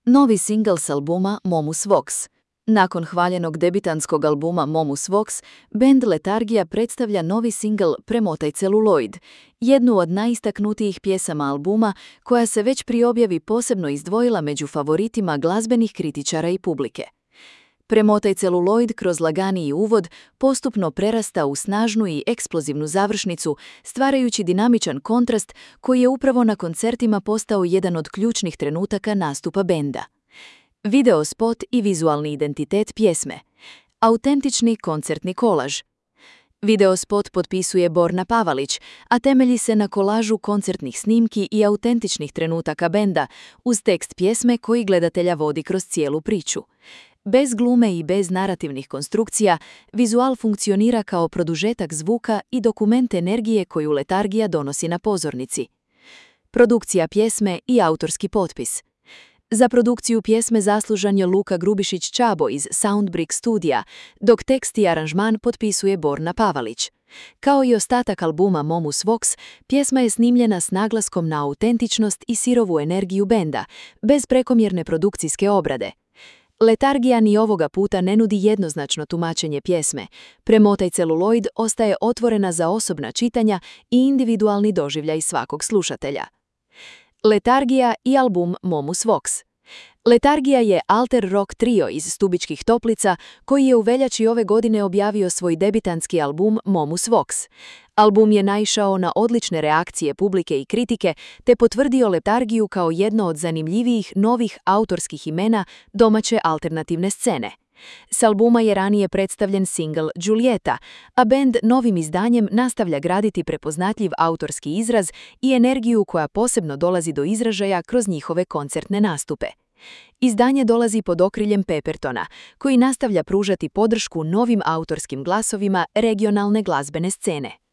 Novi singl s albuma Momus Vox. Nakon hvaljenog debitanskog albuma Momus Vox, bend Letargija predstavlja novi singl Premotaj celuloid, jednu od najistaknutijih pjesama albuma koja se već pri objavi posebno izdvojila među favoritima glazbenih kritičara i publike. Premotaj celuloid kroz laganiji uvod postupno prerasta u snažnu i eksplozivnu završnicu, stvarajući dinamičan kontrast koji je upravo na koncertima postao jedan od ključnih trenutaka nastupa benda. Video spot i vizualni identitet pjesme. Autentični koncertni kolaž. Video spot potpisuje Borna Pavalić, a temelji se na kolažu koncertnih snimki i autentičnih trenutaka benda, uz tekst pjesme koji gledatelja vodi kroz cijelu priču. Bez glume i bez narativnih konstrukcija, vizual funkcionira kao produžetak zvuka i dokument energije koju Letargija donosi na pozornici. Produkcija pjesme i autorski potpis. Za produkciju pjesme zaslužan je Luka Grubišić-Čabo iz Soundbrick studija, dok tekst i aranžman potpisuje Borna Pavalić. Kao i ostatak albuma Momus Vox, pjesma je snimljena s naglaskom na autentičnost i sirovu energiju benda, bez prekomjerne produkcijske obrade. Letargija ni ovoga puta ne nudi jednoznačno tumačenje pjesme. Premotaj celuloid ostaje otvorena za osobna čitanja i individualni doživljaj svakog slušatelja. Letargija i album Momus Vox. Letargija je alter rock trio iz Stubičkih Toplica koji je u veljači ove godine objavio svoj debitanski album Momus Vox. Album je naišao na odlične reakcije publike i kritike te potvrdio Letargiju kao jedno od zanimljivijih novih autorskih imena domaće alternativne scene. S albuma je ranije predstavljen singl Giulietta, a bend novim izdanjem nastavlja graditi prepoznatljiv autorski izraz i energiju koja posebno dolazi do izražaja kroz njihove koncertne nastupe. Izdanje dolazi pod okriljem Peppertona, koji nastavlja pružati podršku novim autorskim glasovima regionalne glazbene scene.